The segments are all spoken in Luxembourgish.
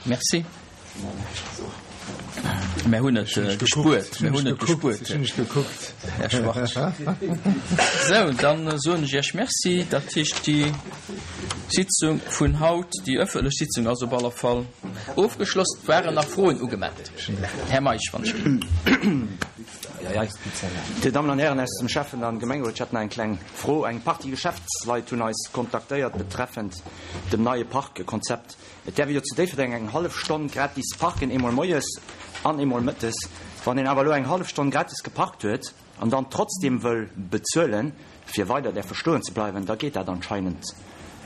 Merci. Mär hunn et gespuert. Mär hunn et gespuert. Ech hunn lech gekuckt. Här Schwarz. Sou, dann soen ech Iech Merci. Dat heescht, déi Sitzung vun haut, déi ëffentlech Sitzung ass op alle Fall ofgeschloss. Et waren nach Froen ugemellt. Här Meisch, wann ech ginn. Dir Dammen an Hären aus dem Schäffen an Gemengerot, ech hätt nach eng kleng Fro. Eng Partie Geschäftsleit hunn eis kontaktéiert betreffend dem neie Parkkonzept. Et däerf ee jo zu Déifferdeng eng hallef Stonn gratis parken, eemol moies an eemol mëttes. Wann een awer elo eng hallef Stonn gratis geparkt huet an dann trotzdeem wëll bezuelen, fir weider däerfe stoen ze bleiwen, da geet dat anscheinend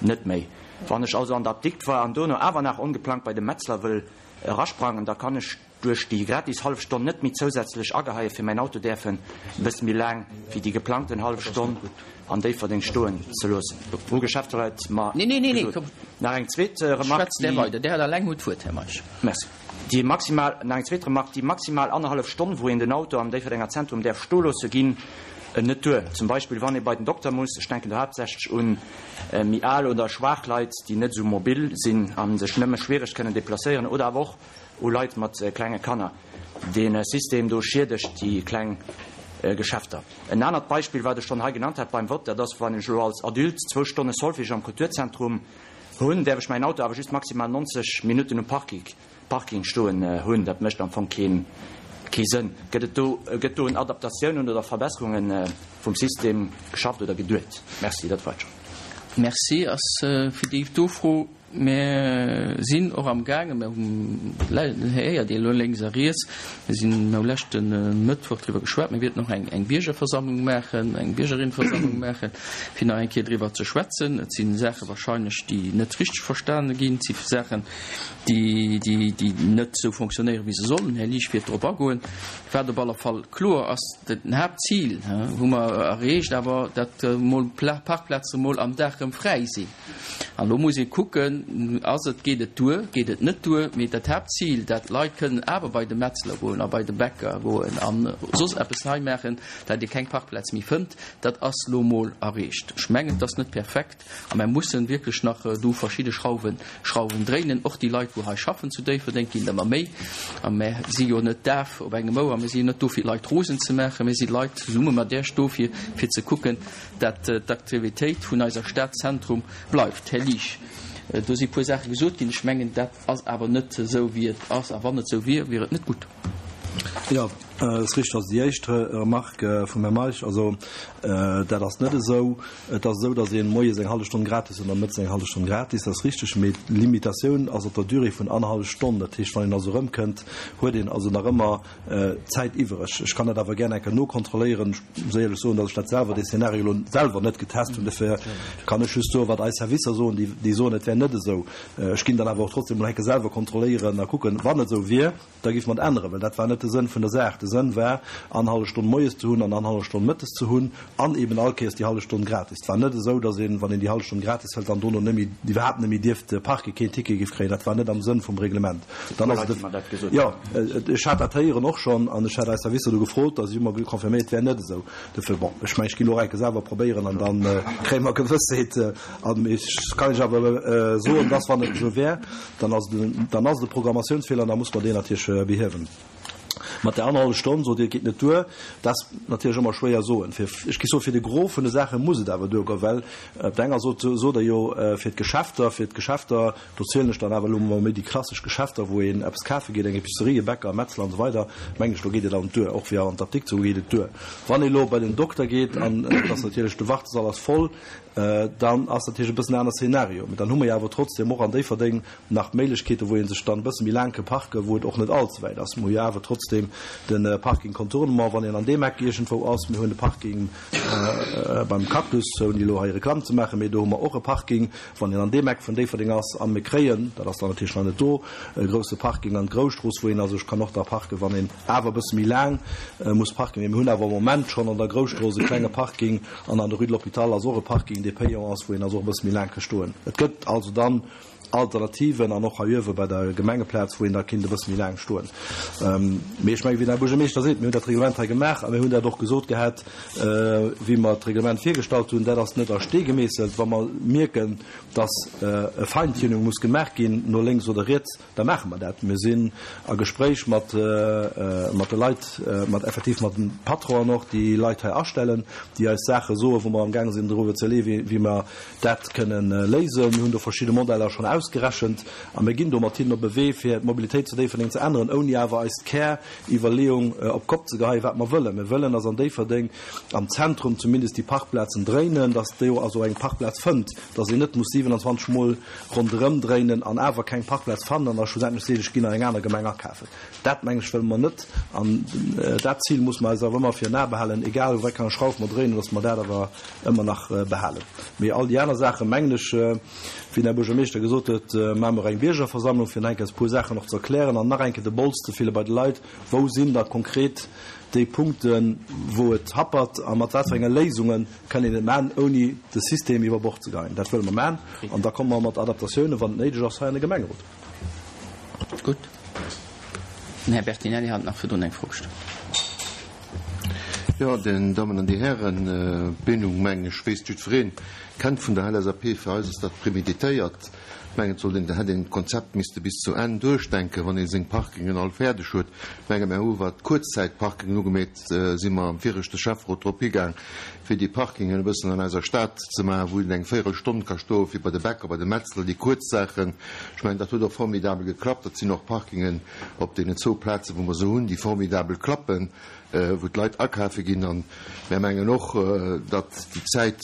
net méi. Wann ech also an der Apdikt war an dono awer nach ongeplangt bei de Metzler wëll erasprangen, da kann ech duerch déi gratis hallef Stonn net méi zousätzlech ageheie fir mäin Auto däerfen e bësse méi laang wéi déi geplangten hallef Stonn an Déifferdeng stoen ze loossen. Hu Geschäfterleit mer gesot. Nach eng zweet Remark, déi. Déi maximal, nach eng zweet Remark, déi maximal annerhallef Stonn, wou een den Auto am Déifferdenger Zentrum däerf stoe loosse, ginn net duer. Zum Beispill wann ee bei den Dokter muss, ech denken do haaptsächlech un méi al oder schwaach Leit, déi net esou mobil sinn a sech nëmme schwiereg kënnen deplacéieren, oder awer och u Leit mat klenge Kanner. Dee System do schiedegt déi kleng Geschäfter. En anert Beispill, wat ech schonn hei genannt hat beim Vott, dat ass, wann ech elo als Adulte zwou Stonne Solfège am Kulturzentrum hunn, däerf ech mäin Auto awer just maximal 90 Minutten um Parking stoen hunn. Dat mécht am Fong kee Sënn. Gëtt et do, gëtt do un Adaptatiounen oder Verbesserunge vum System geschafft oder geduet? Merci, dat war et schonn. Merci ass fir déi do Fro. Mir sinn och am gaangen, mir héiert Dir elo lénks a riets, mir sinn, mir hu leschte Mëttwoch driwwer geschwat, mir wierten och eng eng Biergerversammlung maachen, eng Biergerinnenversammlung maachen, fir nach eng Kéier driwwer ze schwätzen. Et si Saache wahrscheinlech, déi net richteg verstane ginn, et si Saachen, déi, déi, déi net esou fonctionnéieren, wéi se sollen. Här Liesch wäert drop agoen. Wat op alle Fall kloer ass, Den Haaptzil hu mer erreecht, awer datt mol Parkplaze mol am Dag erëm fräi sinn. An elo muss ee kucken, ass et, geet et duer, geet et net duer? Mee dat Haaptzil, dat d'Leit kënnen awer bei de Metzler goen a bei de Bäcker goen a soss eppes hei maachen, dat ee keng Parkplaz méi fënnt, dat ass elo mol erreecht. Ech mengen, et ass net perfekt a mer mussen wierklech nach do verschidde Schrauwen, Schrauwen dréinen. Och déi Leit, wou hei schaffen zu Déifferdeng, ginn ëmmer méi. A mer si jo net daf op engem Ouer, mer si jo net do fir d'Leit rosen ze maachen, mer si Leit zesumme mat Iech do fir, fir ze kucken, dat d'Aktivitéit vun eiser Stad Zentrum bleift. Här Liesch, do si puer Saache gesot ginn. Ech mengen, dat ass awer net esou, wéi et ass. A wann et esou wier, wier et net gutt. Jo, et ass richtig. Also déi éischt Remarque vum Här Meisch, also dat ass net esou. Et ass esou, datt ee moies eng hallef Stonn gratis huet an mëttes eng hallef Stonn gratis. Dat ass richtig. Mee d'Limitatioun ass op der Durée vun annerhallef Stonn. Dat heescht, wann een also erëmkënnt, huet een also nach ëmmer Zäit iwwereg. Ech kann dat awer gär eng Kéier nokontrolléieren. Ech muss éierlech soen, datt ech dat selwer, dee Szenario elo selwer net getest hunn. Dofir kann ech just soen, wat eis Servicer soen. Déi, déi soen, et wär net esou. Ech ginn dann awer och trotzdem emol eng Kéier selwer kontrolléieren a kucken. Wann et esou wier, da géife mer et änneren, well dat war net de Sënn vun der Saach. De Sënn war, annerhallef Stonn moies ze hunn an annerhallef Stonn mëttes ze hunn an eben all Kéiers déi hallef Stonn gratis. Et war net esou, datt een, wann een déi hallef Stonn gratis hëlt, dann dono net méi, iwwerhaapt net méi dierft parken, keen Ticket géif kréien. Dat war net am Sënn vum Reglement. Dann ass et, jo, ech hat dat héieren och schonn an ech hat eis Servicer do gefrot a si hu mer confirméiert, et wär net esou. Dofir, bon, ech mengen, ech ginn elo och eng Kéier selwer probéieren an da kréie mer Gewëssheet. An ech kann Iech awer soen, dass, wann et esou wär, dann ass et, dann ass et e Programmatiounsfeeler an da muss mer deen natierlech behiewen. Mat där annerhallef Stonn, sot Dir, et geet net duer. Dat ass natierlech ëmmer schwéier soen. Fir, ech géif soen, fir de Gros vun de Saache muss et awer duergoen, well op der enger Sot sot Der jo, fir d'Geschäfter, fir d'Geschäfter, Do zielen ech dann awer elo mol méi déi klassesch Geschäfter, wou een eppes kafe geet, eng Epicerie, e Bäcker, e Metzler an esou weider, mengen ech, do geet et dann duer. Och fir an d'Apdikt ze goen, geet et duer. Wann ee elo bei den Dokter geet an et ass natierlech, de Wartesall ass voll, dann ass natierlech e bëssen en aner Szenario. Mee dann hu mer jo awer trotzdem och an Déifferdeng nach d'Méiglechkeeten, wou ee sech dann e bësse méi laang ke parken, wou et och net all ze wäit ass. Mer hu jo awer trotzdem de Parking Contournement, wann een an deem Eck iergendwou ass. Mir hunn de Parking beim Cactus, ouni elo hei Reklamm ze maachen, mee do hu mer och e Parking. Wann een an deem Eck vun Déifferdeng ass, a mir kréien, dat ass dann natierlech nach net do, e grousse Parking an d'Grousstrooss, wou een also kann och da parken, wann een awer e bësse méi laang muss parken. Mee mir hunn awer am Moment schonn an der Grousstrooss e klenge Parking an an der Rue de l'Hôpital ass och e Parking, dee payant ass, wou een also och e bësse méi laang ka stoen. Et gëtt also dann. Alternativen an och hei uewe bei der Gemengeplaz, wou een da kinnt e bësse méi laang stoen. Mee ech mengen, wéi den Här Buergermeeschter seet, mir hunn dat Reglement hei gemaach a mir hunn dat och gesot gehat, wéi mer d'Reglement virgestallt hunn, dat ass net a Stee gemeesselt. Wa mer mierken, dass e Feintuning muss gemaach ginn no lénks oder riets, da maache mer dat. Mir sinn a Gespréich mat mat de Leit, mat effektiv mat de Patronen och, déi Leit hei astellen, déi eis Saache soen, wou mer amgaange sinn driwwer ze iwwerleeën, wéi mer dat kënnen léisen. Mir hunn do verschidde Modeller schonn ausgerechent a mir ginn do mat hinnen op e Wee, fir d'Mobilitéit zu Déifferdeng ze änneren, ouni awer eis Käriwwerleeung op d'Kopp ze geheien, wat mer wëllen. Mir wëllen, dass an Déifferdeng am Zentrum zumindest déi Parkplazen dréinen, dass do also eng Parkplaz fënnt, dass een net muss 27 Mol ronderëm dréinen an awer keng Parkplaz fannen an da schlussendlech seet, ech ginn an eng aner Gemeng akafen. Dat, meng ech, wëlle mer net an dat Zil muss mer eis awer ëmmer virun Ae behalen, egal u wéi enger Schrauf mer dréinen, dass mer dat awer ëmmer nach behalen. Mee all déi aner Saachen, mengen ech, wéi den Här Buergermeeschter gesot huet, maache mer eng Biergerversammlung, fir nach eng Kéier e puer Saachen och ze erklären an nach eng Kéier de Bols ze fille bei de Leit, Wou sinn da konkret déi Punkten, wou et happert a mat wat fir enge Léisunge kënn een et maachen, ouni de System iwwer Bord ze geheien? Dat wëlle mer maachen an da komme mer mat Adaptatiounen, wann et néideg ass, hei an de Gemengerot. Gutt. Den Här Bertinelli hat nach virdrun eng Fro gestallt. Jo, Dir Dammen an Dir Hären, d'Meenung, mengen ech, weess jiddwereen, kennt vun der LSAP. Fir eis ass dat préméditéiert. Ech mengen, et sollt een, hätt een d'Konzept misste bis zu Enn duerchdenken, wann ee seng Parkingen all fäerdeg huet. Ech menge mir hu wat d'Kuerzzäitparkingen ugemeet, si mer am viregte Schäfferot drop higaang, fir déi Parkingen e bëssen an eiser Stad ze maachen, wou een eng Véierelstonn ka stoen, fir bei de Bäcker, bei de Metzler, déi kuerz Saachen. Ech mengen, dat huet och formidabel geklappt. Dat sinn och Parkingen op deenen zwou Plazen, wou mer se hunn, déi formidabel klappen. wou d'Leit akafe ginn. A mär mengen och, datt déi Zäit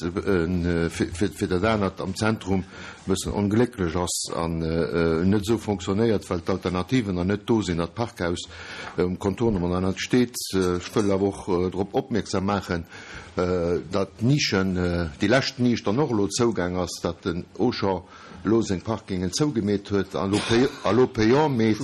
fir dat anert am Zentrum e bëssen onglécklech ass an net esou fonctionnéiert, well d'Alternativen nach net do sinn, dat Parkhaus um Contournement nach net steet. Ech wëll awer och drop opmierksam maachen, datt d'Nischen, déi lescht Nisch dann och elo zougaang ass, datt den Auchan elo seng Parkingen zougemeet huet a lo payant meet,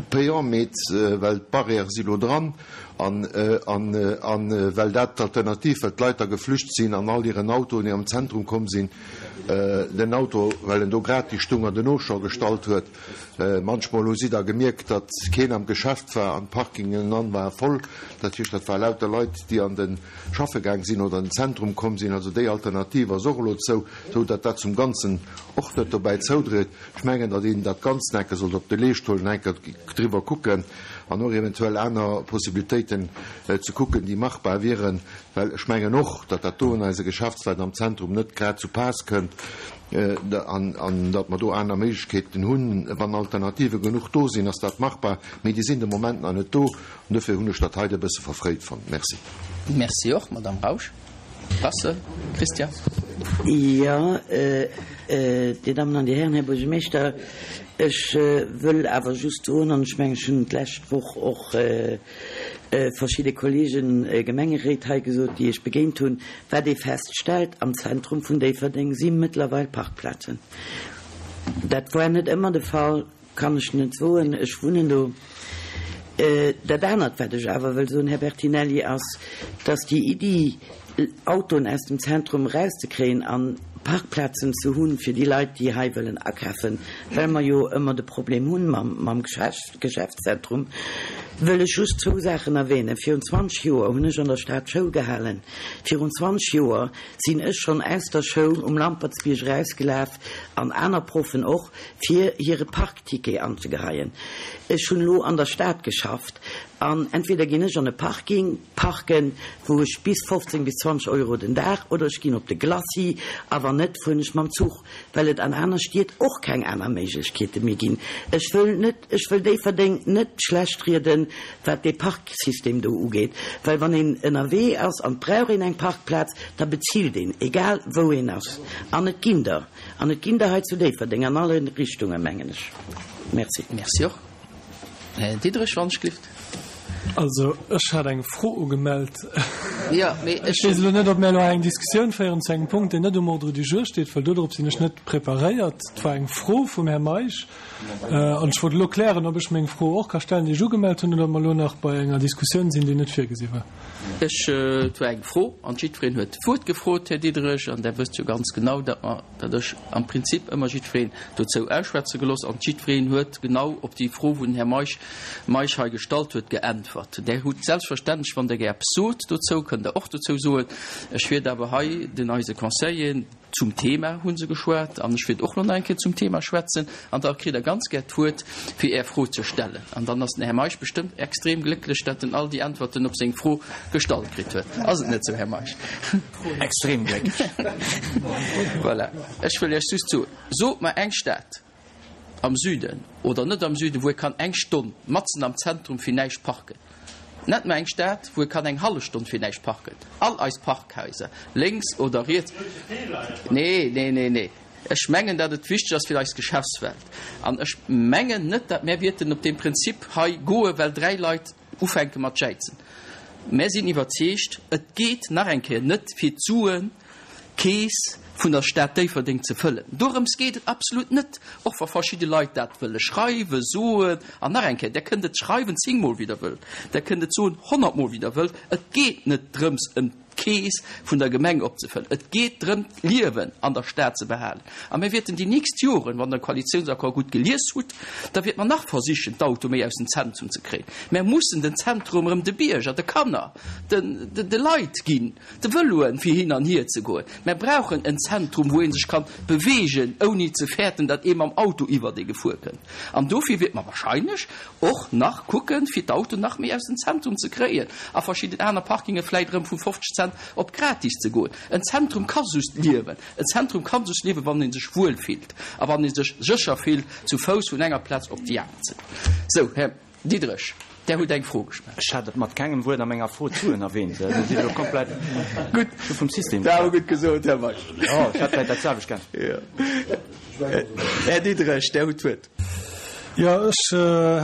payant meet, well d'Barrièrë si lo dran an an well dat d'Alternativ, well d'Leit da geflücht sinn an all hiren Autoen, déi am Zentrum komm sinn, den Auto, well en do gratis stung, an den Auchan gestallt huet. Manchmol hu si da gemierkt, datt keen am Geschäft war an d'Parkingen an ware voll. Dat heescht, dat war lauter Leit, déi an de schaffe gaang sinn oder an den Zentrum komm sinn. Also déi Alternativ ass och elo zou. Sou datt dat zum Ganzen och net dobäi zoudréit. Ech mengen, datt een dat Ganzt enke sollt op de Leescht huelen, enke driwwer kucken an och eventuell aner Possibilitéiten ze kucken, déi machbar wieren, well ech mengen och, datt dat do an eise Geschäftsleit am Zentrum net grad zu Paass kënnt an datt mer do aner Méiglechkeeten hunn. Wann Alternative genuch do sinn, ass dat machbar, mee déi sinn de Moment nach net do an dofir hunn ech dat hei e bësse verfréit fonnt. Merci. Merci och, Madame Rausch. Rassel, Christian. Jo, Dir Dammen an Dir Hären, Här Buergermeeschter, ech wëll awer just soen, an ech mengen, ech hunn et d'lescht Woch och verschidde Kollegen, Gemengeréit hei gesot, déi ech begéint hunn, wat ee feststellt, Am Zentrum vun Déifferdeng si mëttlerweil Parkplazen. Dat war net ëmmer de Fall. Kann ech net soen, ech wunnen do. Dat anert, wat ech awer wëll soen, Här Bertinelli, ass, dass déi Iddi, Autoen aus dem Zentrum erauszekréien a Parkplazen ze hunn fir déi Leit, déi hei wëllen akafen, well mer jo ëmmer de Problem hunn mam Geschäftszentrum, wëll ech just zwou Saachen erwähnen. Virun 20 Joer hunn ech an der Stad Schoul gehalen. Virun 20 Joer sinn ech schonn aus der Schoul um Lampertsbierg erausgelaf, an aner Proffen och, fir hire Parkticket anzegeheien. Ech hunn elo an der Stad geschafft an entweder ginn ech an e Parking parken, wou ech bis 15 bis 20 Euro den Dag, oder ech ginn op de Glacis a wann net, fueren ech mam Zuch, well et an aner Stied och keng aner Méiglechkeete méi ginn. Ech wëll net, ech wëll Déifferdeng net schlecht rieden, wat dee Parksystem do ugeet, well wann een ënnerwee ass an et brauch een eng Parkplaz, da bezilt een, egal wou een ass. An et ginn der. An et ginn der hei zu Déifferdeng an alle Richtungen, mengen ech. Merci. Merci och. Här Diderich, wann ech glift. Also, ech hat eng Fro ugemellt. Jo, mee ech. Ech weess elo net, ob mir elo hei eng Diskussioun féieren zu engem Punkt, deen net um Ordre du jour steet, well dodrop sinn ech net preparéiert. Et war eng Fro vum Här Meisch an ech wollt elo klären, ob ech meng Fro och ka stellen, déi ech ugemellt hunn, oder ob mer elo nach bei enger Diskussioun sinn, déi net virgesi war. Ech, et war eng Fro an jiddwereen huet d'Wuert gefrot, Här Diderich, an Der wësst jo ganz genau, datt mer, datt ech am Prinzip ëmmer jiddwereen dozou ausschwätze gelooss an jiddwereen huet genau op déi Fro, wou den Här Meisch, Meisch hei gestallt huet, geäntwert. Der hutt selbstverständlech, wann Der gär eppes sot dozou, kënnt Der och dozou soen. Ech wiert awer hei den eise Conseilleren, Zum Thema hu se geschwat an ech wäert och elo nach eng Kéier zum Thema schwätzen an da kritt Der ganz gär d'Wuert, fir Är Fro ze stellen. An dann ass den Här Meisch bestëmmt extrem glécklech, dat en all déi Äntwerten op seng Fro gestallt kritt huet. Ass et net esou, Här Meisch? Extrem glécklech. Voilà. Ech wëll Iech just soen, Sot mer eng Stad am Süden oder net am Süden, wou ee kann eng Stonn matzen am Zentrum fir näischt parken. Nennt mer eng Stad, wou ee kann eng hallef Stonn fir näischt parken. All eis Parkhaiser, lénks oder riets. Nee, nee, nee, nee. Ech mengen, datt et wichteg ass fir eis Geschäftswelt. An ech mengen net, datt mär wierten op deem Prinzip hei goen, well 3 Leit ufänke mat jäizen. Mär sinn iwwerzeegt, et geet nach eng Kéier net fir d'Suen, d'Keess vun der Stad Déifferdeng ze fëllen. Dorëms geet et absolut net, och wa verschidde Leit dat wëlle schreiwen, soen. An nach eng Kéier, Der kënnt et schreiwen zéngmol, wéi Der wëllt, Der kënnt et soen honnertmol, wéi Der wëllt, et geet net drëms, ëm d'Keess vun der Gemeng opzefëllen. Et geet drëm, d'Liewen an der Stad ze behalen. A mir wäerten déi nächst Joren, wann Der de Koalitiounsaccord gutt gelies hutt, da wäerte mer nach versichen, d'Auto méi aus dem Zentrum ze kréien. Mer mussen den Zentrum erëm de Bierger, de Kanner, de Leit ginn. De Vëloen fir hin an hier ze goen. Mär brauchen en Zentrum, wou ee sech kann beweegen, ouni ze fäerten, datt ee mam Auto iwwert ee gefuer kënnt. An dofir wäerte mer wahrscheinlech och nach kucken, fir d'Autoen nach méi aus dem Zentrum ze kréien a verschidden aner Parkinge vläit erëm vu 50 Cent op gratis ze goen. En Zentrum ka just liewen, en Zentrum ka just liewen, wann ee sech wuel fillt a wann ee sech sécher fillt, zu Fouss vun enger Plaz op déi aner ze goen. Sou, Här. Diderich, Der hutt eng Fro gestallt. Ech hat et mat kengem Wuert a menger Fro d'Suen erwähnt. Do sidd Der elo komplett Gutt vum System. Dat hu gutt gesot, Här Meisch. Jo, ech hätt vläicht dat selwecht gär. Jo. Här Diderich, Der hutt d'Wuert. Jo, ech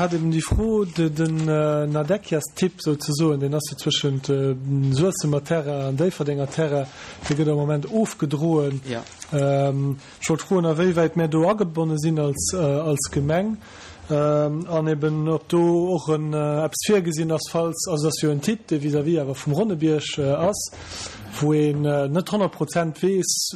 hat eben déi Fro, den Nadekias-Tipp souzesoen, deen ass jo zwëschent Suessemer Terrain an Déifferdenger Terrain, dee gëtt am Moment ofgedroen. Ech wollt froen, awéiwäit mär do agebonne sinn als Gemeng an eben ob do och eppes virgesinn ass, falls, also et ass jo en Tipp, dee vis-à-vis awer vum Ronnebierg ass, wou een net 100 Prozent weess,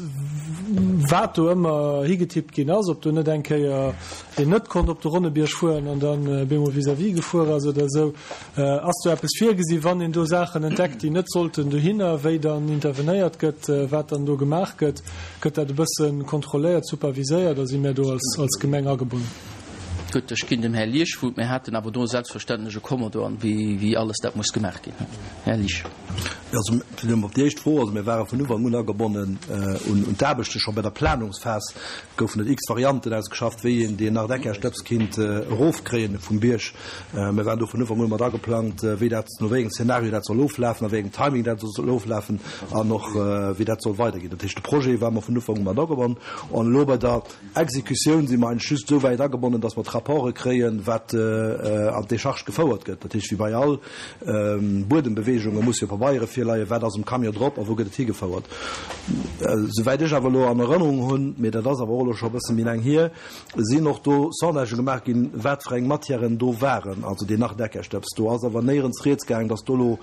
wat do ëmmer higetippt ginn ass, ob do net eng Kéier een net konnt op de Ronnebierg fueren an dann bemol vis-à-vis gefuer ass oder esou. Ass do eppes virgesi wann een do Saachen entdeckt, déi net sollten dohinner, wéi dann intervenéiert gëtt, wat dann do gemaach gëtt? Gëtt dat e bësse kontrolléiert, superviséiert a si mär do als Gemeng agebonnen? Gutt, ech ginn dem Här Liesch d'Wuert. Mir haten awer do selbstverständlech e Kommodo an wéi alles dat muss gemaach ginn. Här Liesch. Jo, also fir op déi éischt Fro, also mir ware vun Ufank un agebonnen un d'Aarbechte. Scho bei der Planungsphas goufen et x Varianten ausgeschafft, wéi een deen Nardeckerstëbs kinnt erofkréien vum Bierg. Mir waren do vun Ufank un mat ageplangt, wéi dat, no wéi engem Szenario dat soll oflafen, a wéi engem Timing dat soll oflafen an och wéi dat soll weiderginn. Dat heescht, de Projet war mer vun Ufank u mat agebonnen. An elo bei der Exekutioun si mer eigentlech just esou wäit agebonnen, dass mer d'Rapporte kréien, wat an d'Décharge gefouert gëtt. Dat heescht, wéi bei all Buedembeweegunge musse jo Pabeiere virleien, wat ass um Camion drop a wou gëtt et higefouert. Souwäit ech awer elo an Erënnerung hunn, mee dat ass awer och elo scho e bësse méi laang hier, sinn och do Sondagë gemaach ginn, wat fir eng Matièren do waren, also deen Nachdeckerstëbs. Do ass awer néierens rieds gaang, datt do elo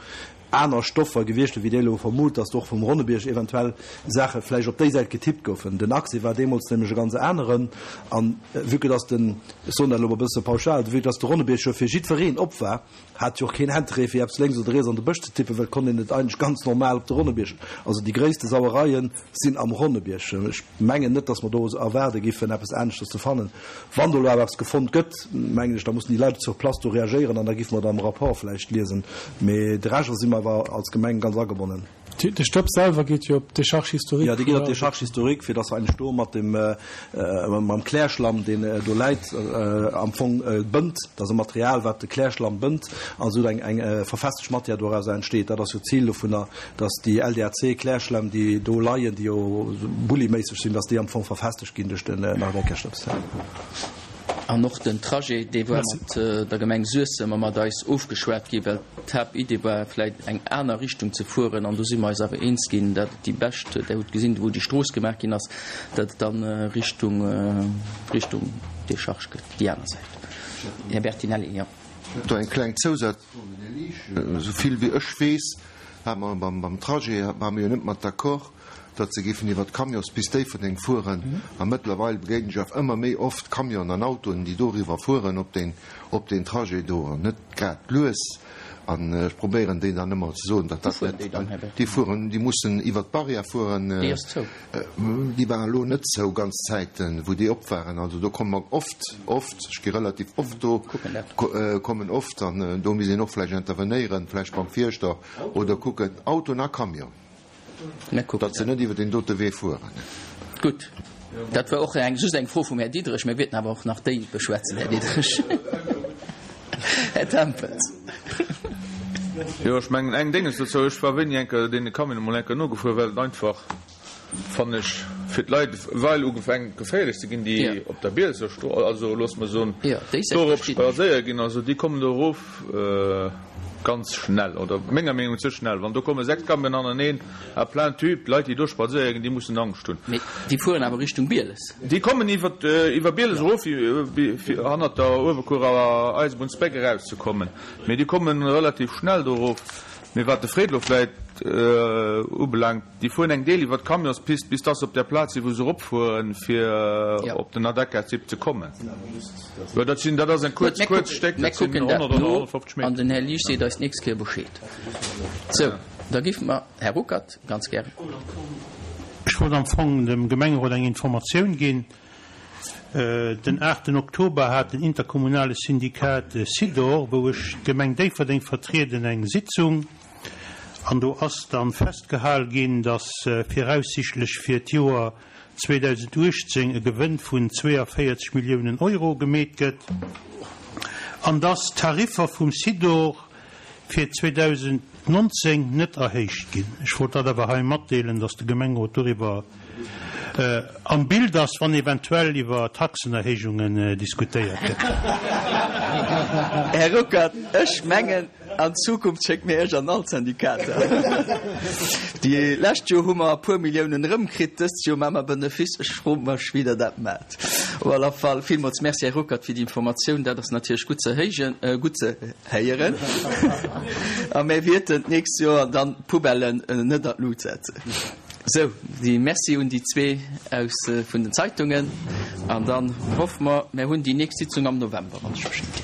aner Stoffer gewiescht wier, wéi Dir elo vermut, datt do och vum Ronnebierg eventuell Saache vläicht op déi Säit getippt goufen. Den Accès war deemools nämlech e ganz aneren. An vue que datt den, ech soen dat elo mol e bësse pauschal, vue que datt de Ronnebierg jo fir jiddwereen op war, hat jo och keen Interêt fir eppes lénks oder riets an de Bësch ze tippen, well et konnt een et eigentlech ganz normal op de Ronnebierg, also déi gréisste Sauereien sinn am Ronnebierg. Ech mengen net, datt mer do erwaarde giffen eppes aneschters ze fannen. Wann do elo awer eppes gefonnt gëtt, mengen ech, da mussen déi Leit sur place do reagéieren an da giffe mer et am Rapport vläicht liesen. Mee de Rescht, also si mer awer als Gemeng ganz agebonnen. De Stëbs selwer geet jo op d'Décharge historique. Jo, dee geet op d'Décharge historique, fir datt se eigentlech do mat dem, mam Klärschlamm, deen do läit, am Fong bënnt. Dat ass e Material, wat de Klärschlamm bënnt an esou eng, eng verfestegt Matière dorauser entsteet. Dat ass jo d'Zil dovunner, datt déi LDAC-Klärschlämm, déi do leien, déi jo bulliméisseg sinn, datt déi am Fong verfestegt ginn duerch den Nardeckerstëbs. An och den Trajet, dee war mat der Gemeng Suessem a mat eis ofgeschwat ginn, well d'Haaptidee war vläicht eng aner Richtung ze fueren. An do si mer eis awer eens ginn, datt et déi bescht, Der hutt gesinn, wou déi Strooss gemaach ginn ass, datt et dann Richtung, Richtung Décharge gëtt, déi aner Säit. Här Bertinelli, jo. Do eng kleng Zousazfro un den Här Liesch. Esou vill wéi ech weess, hate mer beim Trajet, ware mer jo net mat d'accord, datt se géifen iwwer d'Camionspist Déifferdeng fueren. A mëttlerweil begéinen ech awer ëmmer méi oft Camionen an Autoen, déi doriwwer fueren op deen, op deen Trajet do, an net grad lues. An ech probéieren déi dann ëmmer ze soen, datt dat net, déi fueren, déi mussen iwwer d'Barrière fueren. Déi ass zou. Déi war elo net zou ganz Zäiten, wou déi op waren. Also do komme mer oft, oft, ech gi relativ oft do, kommen oft, an do misst een och vläicht intervenéieren, vläicht beim Fierschter oder kucken, Autoen a Camion. Datt se net iwwer deen dote Wee fueren. Gutt, dat war och eng, just eng Fro vum Här Diderich. Mir wäerten awer och nach déi beschwätzen, Här Diderich. Här Tempels. Jo, ech mengen eng Dénges dozou, Ech war wéini eng Kéier deene Camionen emol eng Kéier nogefuer, well et einfach, fannen ech, fir d'Leit well ugefänkt geféierlech ze ginn, déi op der Bielser Strooss, also loosse mer soen, dorop spadséiere ginn. Also déi kommen do erof. Ganz schnell, oder menger Meenung ze schnell. Wann do komme 6 Camionen aneneen à plein tube, d'Leit déi do spadséiere ginn, déi mussen Angscht hunn. Mee déi fueren awer Richtung Bieles. Déi kommen iwwer iwwer Bieles erof fir hannert der Uewerkuerer Eisebunnsbréck erauszekommen. Mee déi kommen relativ schnell do erof. Mee wat de Fred elo vläit ubelaangt, Déi fueren eng Deel iwwer d'Camionspist, bis dass se op där Plaz sinn, wou se eropfueren, fir op den Adecca-Zipp ze kommen. Jo, dat sinn, dat ass en kuerz, kuerz Stéck, dat sinn 100 oder 150 Meter. An den Här Liesch seet eis d'nächst Kéier Bescheed. Sou, da géife mer, Här Ruckert, ganz gären. Ech wollt am Fong dem Gemengerot eng Informatioun ginn. Den aachten Oktober hat den interkommunale Syndikat SIDOR, wou ech d'Gemeng Déifferdeng vertrieden, eng Sitzung. An do ass dann festgehal ginn, dass viraussichtlech fir d'Joer 2018 e Gewënn vun 42 Milliounen Euro gemeet gëtt an dass d'Tariffer vum Sidor fir 2019 net erhéicht ginn. Ech wollt dat awer hei matdeelen, dass de Gemengerot doriwwer am Bild ass, wann eventuell iwwer Taxenerhéijungen diskutéiert gëtt. Här Ruckert, ech mengen, An Zukunft schéckt mir Iech an all d'Syndikater. Déi lescht Joer hu mer e puer Milliounen erëmkritt, dëst Joer maache mer Benefice. Ech froe mech, wéi Der dat maacht. Op alle Fall villmools Merci, Här Ruckert, fir déi Informatioun. Dat ass natierlech gutt ze héijen, gutt ze héieren. A mir wierten d'nächst Joer dann d'Poubellen net an d'Lut setzen. Sou, déi Merci un déi zwee aus vun den Zeitungen. An dann hoffe mer, mir hunn déi nächst Sitzung am November, wann ech mech net.